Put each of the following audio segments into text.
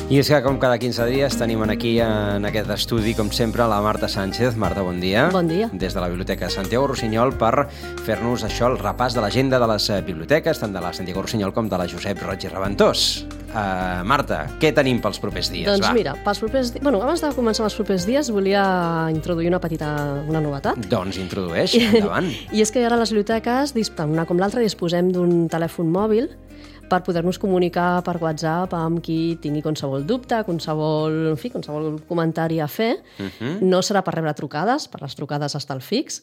I és que, com cada 15 dies, tenim aquí en aquest estudi, com sempre, la Marta Sánchez. Marta, bon dia. Bon dia. Des de la Biblioteca Santiago Rossinyol per fer-nos això, el repàs de l'agenda de les biblioteques, tant de la Santiago Rossinyol com de la Josep Roig i Reventós. Marta, què tenim pels propers dies? Doncs mira, pels propers dies... Bueno, abans de començar els propers dies volia introduir una novetat. Doncs introdueix, endavant. I és que ara les biblioteques, una com l'altra, disposem d'un telèfon mòbil per poder-nos comunicar per WhatsApp amb qui tingui qualsevol dubte, qualsevol comentari a fer. No serà per rebre trucades, per les trucades està el fix,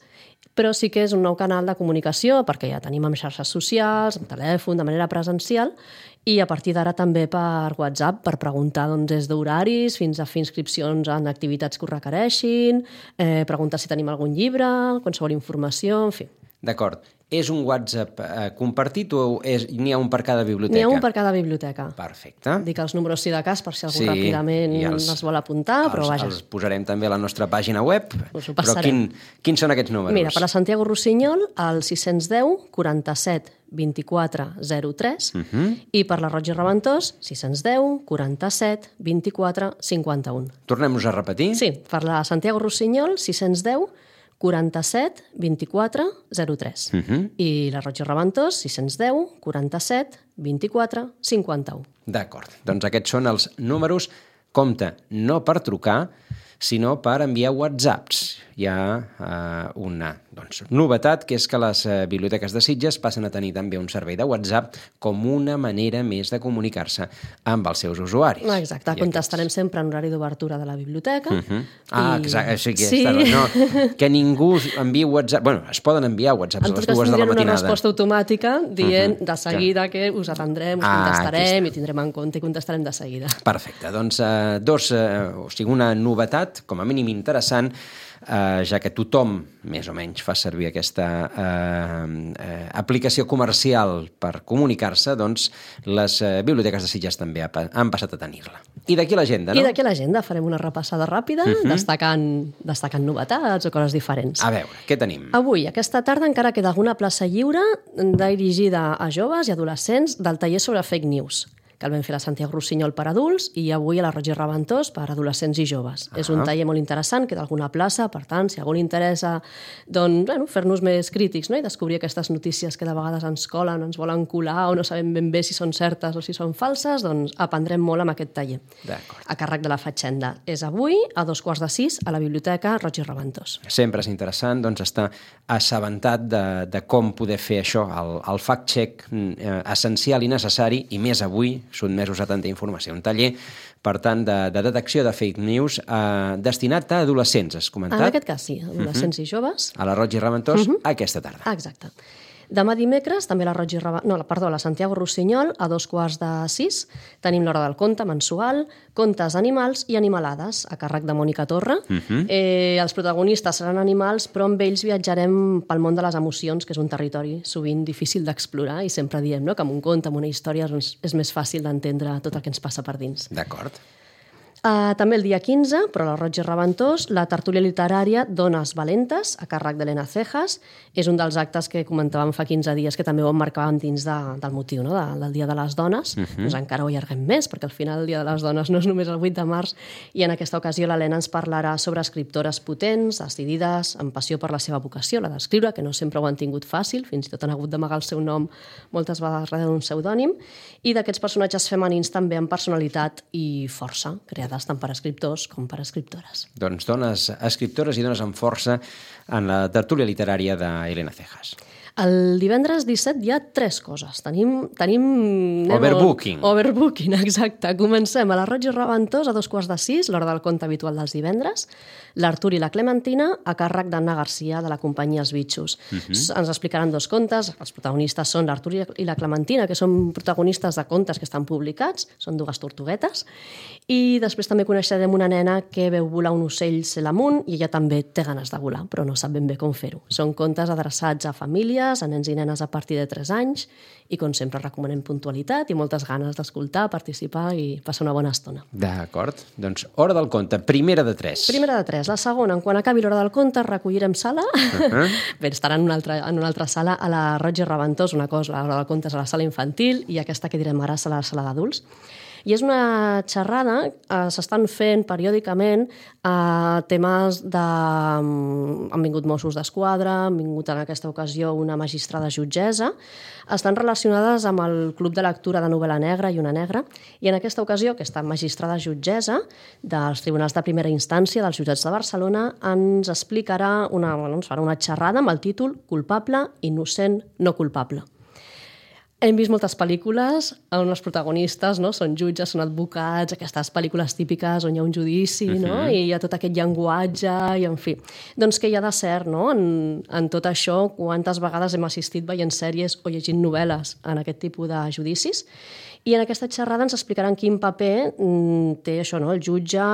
però sí que és un nou canal de comunicació perquè ja tenim amb xarxes socials, amb telèfon, de manera presencial, i a partir d'ara també per WhatsApp, per preguntar des d'horaris fins a fer inscripcions en activitats que ho requereixin, preguntar si tenim algun llibre, qualsevol informació, en fi. D'acord. És un WhatsApp compartit o n'hi ha un per cada biblioteca? N'hi ha un per cada biblioteca. Perfecte. Dic els números sí de cas per si algú ràpidament els vol apuntar, però vaja. Els posarem també a la nostra pàgina web. Us ho però passarem. quins són aquests números? Mira, per la Santiago Rossinyol, el 610 47 24 03 i per la Roig i Reventós, 610 47 24 51. Tornem-nos a repetir? Sí, per la Santiago Rossinyol, 610 47 24 03 i la Roig i Reventós 610 47 24 51. D'acord, doncs aquests són els números. Compte, no per trucar, sinó per enviar whatsapps. Hi ha una novetat, que és que les biblioteques de Sitges passen a tenir també un servei de WhatsApp com una manera més de comunicar-se amb els seus usuaris. Exacte, contestarem sempre en horari d'obertura de la biblioteca. Exacte, sí, que ningú enviï WhatsApp... Bueno, es poden enviar whatsapps a les 2 de la matinada. En tot cas, tindrem una resposta automàtica dient de seguida que us atendrem, us contestarem i tindrem en compte i contestarem de seguida. Perfecte, doncs una novetat, com a mínim interessant, ja que tothom, més o menys, fa servir aquesta aplicació comercial per comunicar-se, doncs les biblioteques de Sitges també han passat a tenir-la. I d'aquí l'agenda, no? I d'aquí l'agenda farem una repassada ràpida, destacant novetats o coses diferents. A veure, què tenim? Avui, aquesta tarda, encara queda alguna plaça lliure dirigida a joves i adolescents del taller sobre fake news, que el vam fer a la Santiago Rossinyol per adults i avui a la Roig i Reventós per adolescents i joves. És un taller molt interessant, queda alguna plaça, per tant, si a algú li interessa fer-nos més crítics i descobrir aquestes notícies que de vegades ens colen, ens volen colar o no sabem ben bé si són certes o si són falses, doncs aprendrem molt amb aquest taller. A càrrec de la Fatxenda. És avui a 5:15 a la Biblioteca Roig i Reventós. Sempre és interessant estar assabentat de com poder fer això, el fact-check essencial i necessari, i més avui, sotmesos a tanta informació. Un taller, per tant, de detecció de fake news destinat a adolescents, has comentat? En aquest cas, sí, adolescents i joves. A la Roig i Reventós, aquesta tarda. Exacte. Demà dimecres, també a la Santiago Rossinyol, a 5:15, tenim l'Hora del Conte mensual, contes animals i animalades, a càrrec de Mònica Torra. Els protagonistes seran animals, però amb ells viatjarem pel món de les emocions, que és un territori sovint difícil d'explorar, i sempre diem que amb un conte, amb una història, és més fàcil d'entendre tot el que ens passa per dins. D'acord. També el dia 15, però a la Roig i Reventós, la tertúlia literària Dones Valentes, a càrrec d'Elena Cejas. És un dels actes que comentàvem fa 15 dies que també ho emmarcàvem dins del motiu, del Dia de les Dones. Doncs encara ho allarguem més, perquè al final el Dia de les Dones no és només el 8 de març, i en aquesta ocasió l'Helena ens parlarà sobre escriptores potents, decidides, amb passió per la seva vocació, la d'escriure, que no sempre ho han tingut fàcil, fins i tot han hagut d'amagar el seu nom moltes vegades darrere d'un pseudònim, i d'aquests personatges femenins també amb personalitat i força, creades tant per escriptors com per escriptores. Doncs dones escriptores i dones amb força en la tertúlia literària d'Elena Cejas. El divendres 17 hi ha 3 coses. Tenim Overbooking. Overbooking, exacte. Comencem a la Roig i Reventós a 5:15, l'hora del conte habitual dels divendres. L'Artur i la Clementina, a càrrec d'Anna Garcia, de la companyia Els Bitxos. Ens explicaran 2 contes. Els protagonistes són l'Artur i la Clementina, que són protagonistes de contes que estan publicats. Són 2 tortuguetes. I després també coneixerem una nena que veu volar un ocell cel amunt i ella també té ganes de volar, però no sap ben bé com fer-ho. Són contes adreçats a famílies, a nens i nenes a partir de 3 anys, i com sempre recomanem puntualitat i moltes ganes d'escoltar, participar i passar una bona estona. D'acord. Doncs Hora del Conte, primera de 3. Primera de 3. La segona, quan acabi l'Hora del Conte, recollirem sala. Bé, estarà en una altra sala a la Roig i Reventós, una cosa, l'Hora del Conte és a la sala infantil i aquesta que direm ara serà a la sala d'adults. I és una xerrada, s'estan fent periòdicament temes de... Han vingut Mossos d'Esquadra, han vingut en aquesta ocasió una magistrada jutgessa, estan relacionades amb el Club de Lectura de Novel·la Negra i Una Negra, i en aquesta ocasió aquesta magistrada jutgessa dels tribunals de primera instància dels jutjats de Barcelona ens explicarà ens farà una xerrada amb el títol Culpable, innocent, no culpable. Hem vist moltes pel·lícules on els protagonistes són jutges, són advocats, aquestes pel·lícules típiques on hi ha un judici, i hi ha tot aquest llenguatge, i en fi. Doncs què hi ha de cert en tot això? Quantes vegades hem assistit veient sèries o llegint novel·les en aquest tipus de judicis? I en aquesta xerrada ens explicaran quin paper té això, el jutge,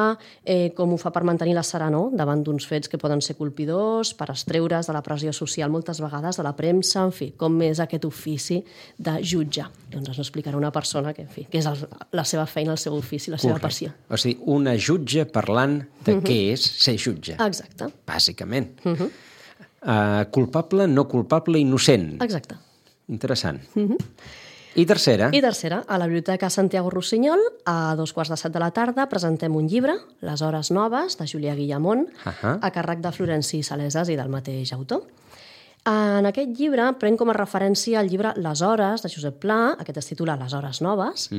com ho fa per mantenir la serenor davant d'uns fets que poden ser colpidors, per estreure's de la pressió social moltes vegades, de la premsa, en fi, com és aquest ofici de jutge. Doncs ens ho explicarà una persona que, en fi, que és la seva feina, el seu ofici, la seva passió. O sigui, una jutge parlant de què és ser jutge. Exacte. Bàsicament. Culpable, no culpable, innocent. Exacte. Interessant. I tercera? I tercera, a la Biblioteca Santiago Rossinyol, a 2:15 de la tarda, presentem un llibre, Les hores noves, de Julià Guillamont, a càrrec de Florenci Salesas i del mateix autor. En aquest llibre pren com a referència el llibre Les hores, de Josep Pla, aquest es titula Les hores noves,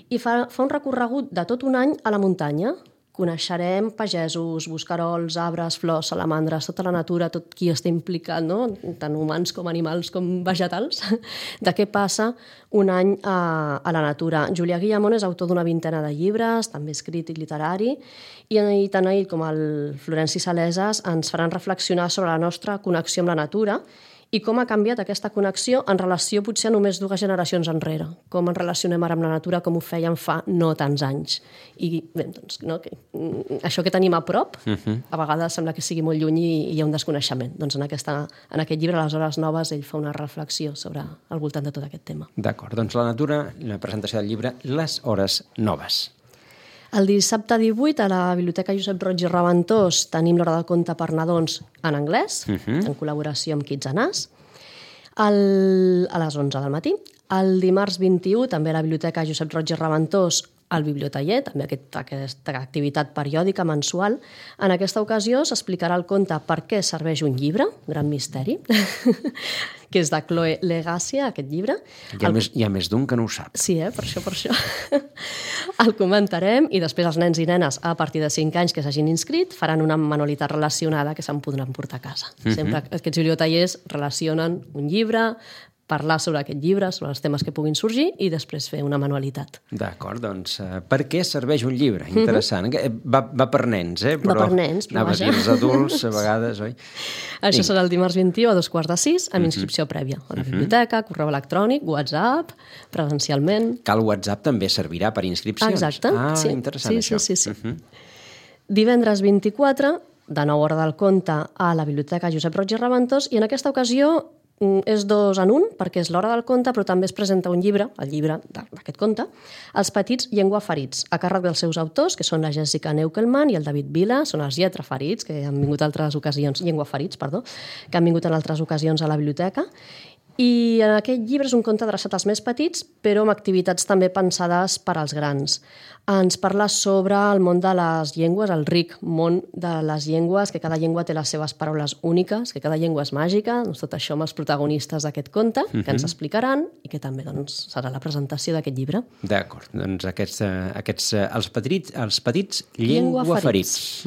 i fa un recorregut de tot un any a la muntanya. Coneixerem pagesos, bosquerols, arbres, flors, salamandres, tota la natura, tot qui està implicat, tant humans com animals com vegetals, de què passa un any a la natura. Julià Guillamont és autor d'una vintena de llibres, també és crític literari, i tant ell com el Florenci Salesas ens faran reflexionar sobre la nostra connexió amb la natura i com ha canviat aquesta connexió en relació potser a només 2 generacions enrere. Com ens relacionem ara amb la natura, com ho fèiem fa no tants anys. I bé, doncs, això que tenim a prop, a vegades sembla que sigui molt lluny i hi ha un desconeixement. Doncs en aquest llibre, Les hores noves, ell fa una reflexió sobre al voltant de tot aquest tema. D'acord, doncs la natura, la presentació del llibre Les hores noves. El dissabte 18 a la Biblioteca Josep Roig i Reventós tenim l'hora del conte per nadons en anglès, en col·laboració amb Kids and Us, a les 11 del matí. El dimarts 21, també a la Biblioteca Josep Roig i Reventós, al Bibliotaller, també aquesta activitat periòdica mensual. En aquesta ocasió s'explicarà el conte Per què serveix un llibre, gran misteri, que és de Chloe Legàcia, aquest llibre. Hi ha més d'un que no ho sap. Sí, per això. El comentarem i després els nens i nenes a partir de 5 anys que s'hagin inscrit faran una manualitat relacionada que se'n podran portar a casa. Sempre aquests bibliotallers relacionen un llibre, parlar sobre aquest llibre, sobre els temes que puguin sorgir i després fer una manualitat. D'acord, doncs per què serveix un llibre? Interessant. Va per nens, però va per nens, però anava a dir els adults a vegades, oi? Això serà el dimarts 21 a 2:15 amb inscripció prèvia. A la biblioteca, correu electrònic, WhatsApp, presencialment. Que el WhatsApp també servirà per inscripcions? Exacte. Sí. Interessant, això. Sí. Divendres 24, de 9 hora del conte a la Biblioteca Josep Roig i Reventós, i en aquesta ocasió és 2 en 1, perquè és l'hora del conte, però també es presenta un llibre, el llibre d'aquest conte, Els petits llengüaferits, a càrrec dels seus autors, que són la Jessica Neukelman i el David Vila, són els lletraferits, que han vingut altres ocasions, llengüaferits, perdó, que han vingut en altres ocasions a la biblioteca. I en aquest llibre és un conte adreçat als més petits, però amb activitats també pensades per als grans. Ens parla sobre el món de les llengües, el ric món de les llengües, que cada llengua té les seves paraules úniques, que cada llengua és màgica, doncs tot això amb els protagonistes d'aquest conte, que ens explicaran i que també serà la presentació d'aquest llibre. D'acord, doncs els petits llengüaferits.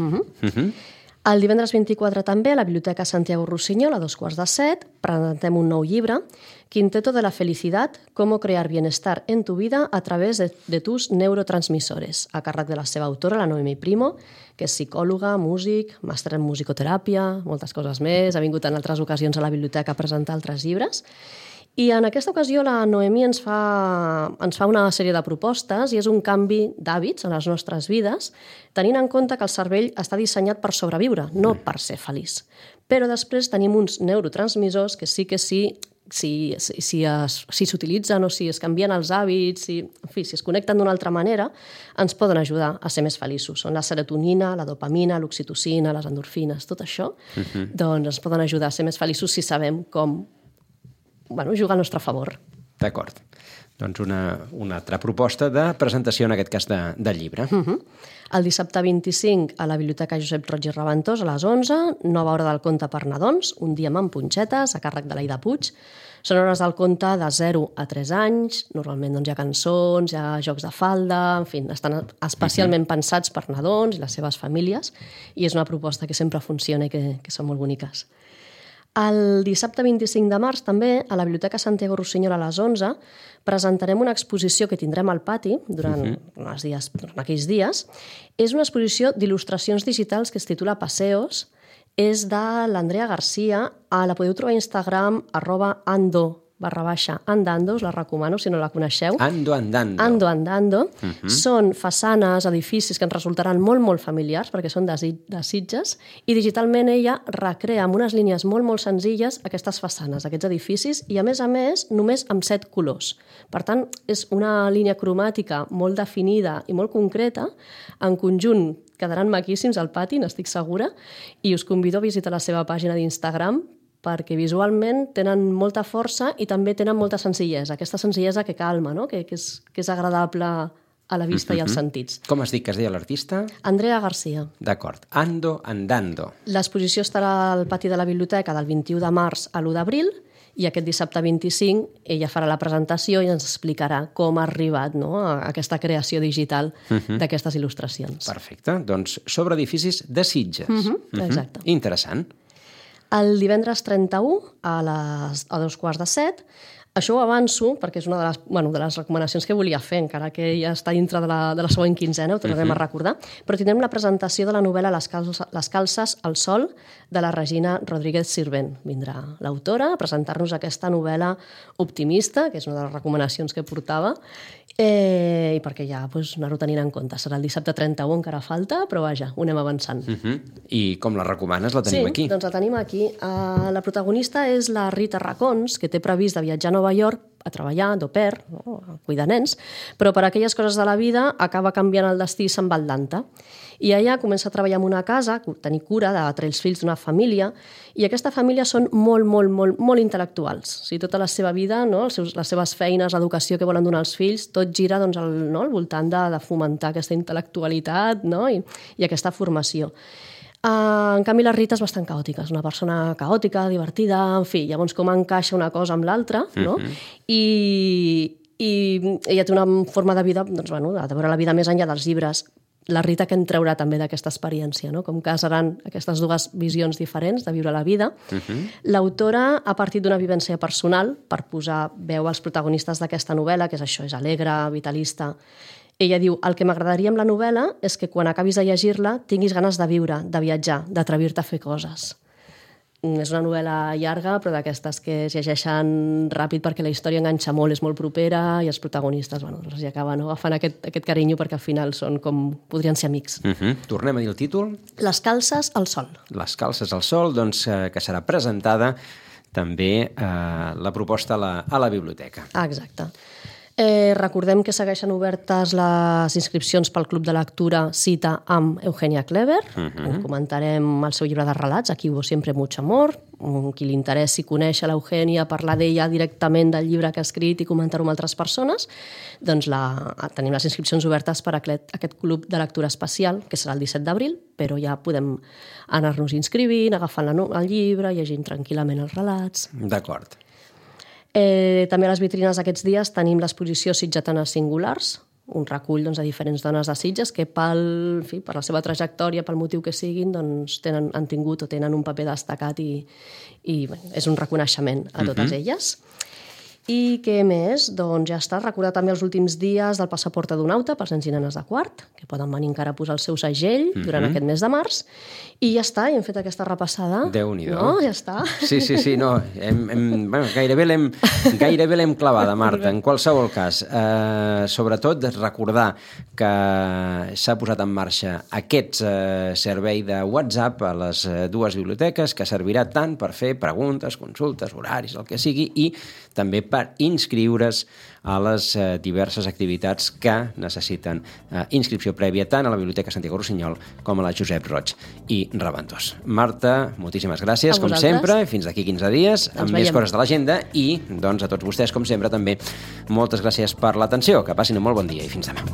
El divendres 24 també a la Biblioteca Santiago Rossinyol, a 2:15, presentem un nou llibre, Quinteto de la Felicidad, cómo crear bienestar en tu vida a través de tus neurotransmisores, a càrrec de la seva autora, la Noemi Primo, que és psicòloga, músic, màster en musicoteràpia, moltes coses més, ha vingut en altres ocasions a la biblioteca a presentar altres llibres. I en aquesta ocasió la Noemi ens fa una sèrie de propostes i és un canvi d'hàbits en les nostres vides, tenint en compte que el cervell està dissenyat per sobreviure, no per ser feliç. Però després tenim uns neurotransmissors que si s'utilitzen o si es canvien els hàbits, si es connecten d'una altra manera, ens poden ajudar a ser més feliços. Són la serotonina, la dopamina, l'oxitocina, les endorfines, tot això, doncs ens poden ajudar a ser més feliços si sabem com jugar al nostre favor. D'acord. Doncs una altra proposta de presentació, en aquest cas, de llibre. El dissabte 25 a la Biblioteca Josep Roig i Raventós a les 11, nova hora del conte per nadons, un dia amb punxetes, a càrrec de l'Aida Puig. Són hores del conte de 0 a 3 anys, normalment doncs, hi ha cançons, hi ha jocs de falda, en fi, estan especialment pensats per nadons i les seves famílies, i és una proposta que sempre funciona i que són molt boniques. El dissabte 25 de març també, a la Biblioteca Santiago Rossinyol a les 11, presentarem una exposició que tindrem al pati durant aquells dies. És una exposició d'il·lustracions digitals que es titula Paseos. És de l'Andrea Garcia. La podeu trobar a Instagram, @ando_andando, us la recomano si no la coneixeu. Ando andando. Ando andando. Són façanes, edificis que ens resultaran molt, molt familiars perquè són de Sitges, i digitalment ella recrea amb unes línies molt, molt senzilles aquestes façanes, aquests edificis, i a més, només amb 7 colors. Per tant, és una línia cromàtica molt definida i molt concreta. En conjunt quedaran maquíssims al pati, n'estic segura, i us convido a visitar la seva pàgina d'Instagram perquè visualment tenen molta força i també tenen molta senzillesa, aquesta senzillesa que calma, no? que és agradable a la vista i als sentits. Com has dit que es deia l'artista? Andrea Garcia. D'acord. Ando andando. L'exposició estarà al pati de la biblioteca del 21 de març a l'1 d'abril, i aquest dissabte 25 ella farà la presentació i ens explicarà com ha arribat, no?, a aquesta creació digital d'aquestes il·lustracions. Perfecte. Doncs sobre edificis de Sitges. Exacte. Interessant. El divendres 31 a 2:15, això ho avanço perquè és una de les recomanacions que volia fer, encara que ja està dintre de la següent quinzena, ho tornarem a recordar, però tindrem la presentació de la novel·la Les calces al sol, de la Regina Rodríguez Sirvent. Vindrà l'autora a presentar-nos aquesta novel·la optimista, que és una de les recomanacions que portava, i perquè ja anar-ho tenint en compte. Serà el dissabte 31, encara falta, però vaja, ho anem avançant. I com la recomanes? La tenim aquí? Sí, doncs la tenim aquí. La protagonista és la Rita Racons, que té previst de viatjar a Nova York a treballar d'au pair, a cuidar nens, però per aquelles coses de la vida acaba canviant el destí i se'n va a Atlanta. I allà comença a treballar en una casa, tenir cura de 3 fills d'una família, i aquesta família són molt, molt, molt, molt intel·lectuals. O sigui, tota la seva vida, no? Les seves feines, l'educació que volen donar als fills, tot gira doncs, al voltant de fomentar aquesta intel·lectualitat, no? I aquesta formació. En canvi, la Rita és bastant caòtica, és una persona caòtica, divertida, en fi, llavors com encaixa una cosa amb l'altra, no? I ella té una forma de vida, doncs, de veure la vida més enllà dels llibres. La Rita que en traurà també d'aquesta experiència, no? Com que seran aquestes dues visions diferents de viure la vida. L'autora ha partit d'una vivència personal per posar veu als protagonistes d'aquesta novel·la, que és això, és alegre, vitalista. Ella diu, el que m'agradaria amb la novel·la és que quan acabis de llegir-la tinguis ganes de viure, de viatjar, d'atrevir-te a fer coses. És una novel·la llarga, però d'aquestes que es llegeixen ràpid perquè la història enganxa molt, és molt propera, i els protagonistes els acaben agafant aquest carinyo perquè al final són com podrien ser amics. Tornem a dir el títol. Les calces al sol. Les calces al sol, doncs, que serà presentada també la proposta a la biblioteca. Exacte. Recordem que segueixen obertes les inscripcions pel Club de Lectura Cita amb Eugènia Clever. Comentarem el seu llibre de relats, Aquí hubo siempre mucho amor. Qui li interessi conèixer l'Eugènia, parlar d'ella directament del llibre que ha escrit i comentar-ho amb altres persones, doncs tenim les inscripcions obertes per a aquest Club de Lectura especial, que serà el 17 d'abril, però ja podem anar-nos inscrivint, agafant el llibre, llegint tranquil·lament els relats. D'acord. També a les vitrines aquests dies tenim l'exposició Sitgetanes Singulars, un recull de diferents dones de Sitges que per la seva trajectòria, pel motiu que siguin, han tingut o tenen un paper destacat i és un reconeixement a totes elles. I què més? Doncs ja està. Recordar també els últims dies del passaport adonauta per nens i nenes de quart, que poden venir encara a posar el seu segell durant aquest mes de març. I ja està, hem fet aquesta repassada. Déu-n'hi-do. No? Ja està. Sí, no. Gairebé l'hem clavada, Marta. En qualsevol cas, sobretot recordar que s'ha posat en marxa aquest servei de WhatsApp a les dues biblioteques, que servirà tant per fer preguntes, consultes, horaris, el que sigui, i també per per inscriure's a les diverses activitats que necessiten inscripció prèvia tant a la Biblioteca Santiago Rossinyol com a la Josep Roig i Reventós. Marta, moltíssimes gràcies, com sempre, fins d'aquí 15 dies, amb més coses de l'agenda i, doncs, a tots vostès, com sempre, també moltes gràcies per l'atenció. Que passin un molt bon dia i fins demà.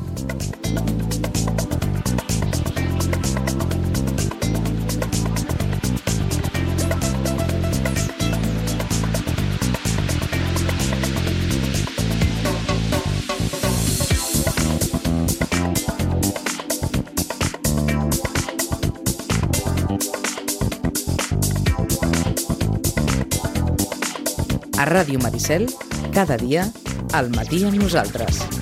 A Ràdio Maricel, cada dia, al matí amb nosaltres.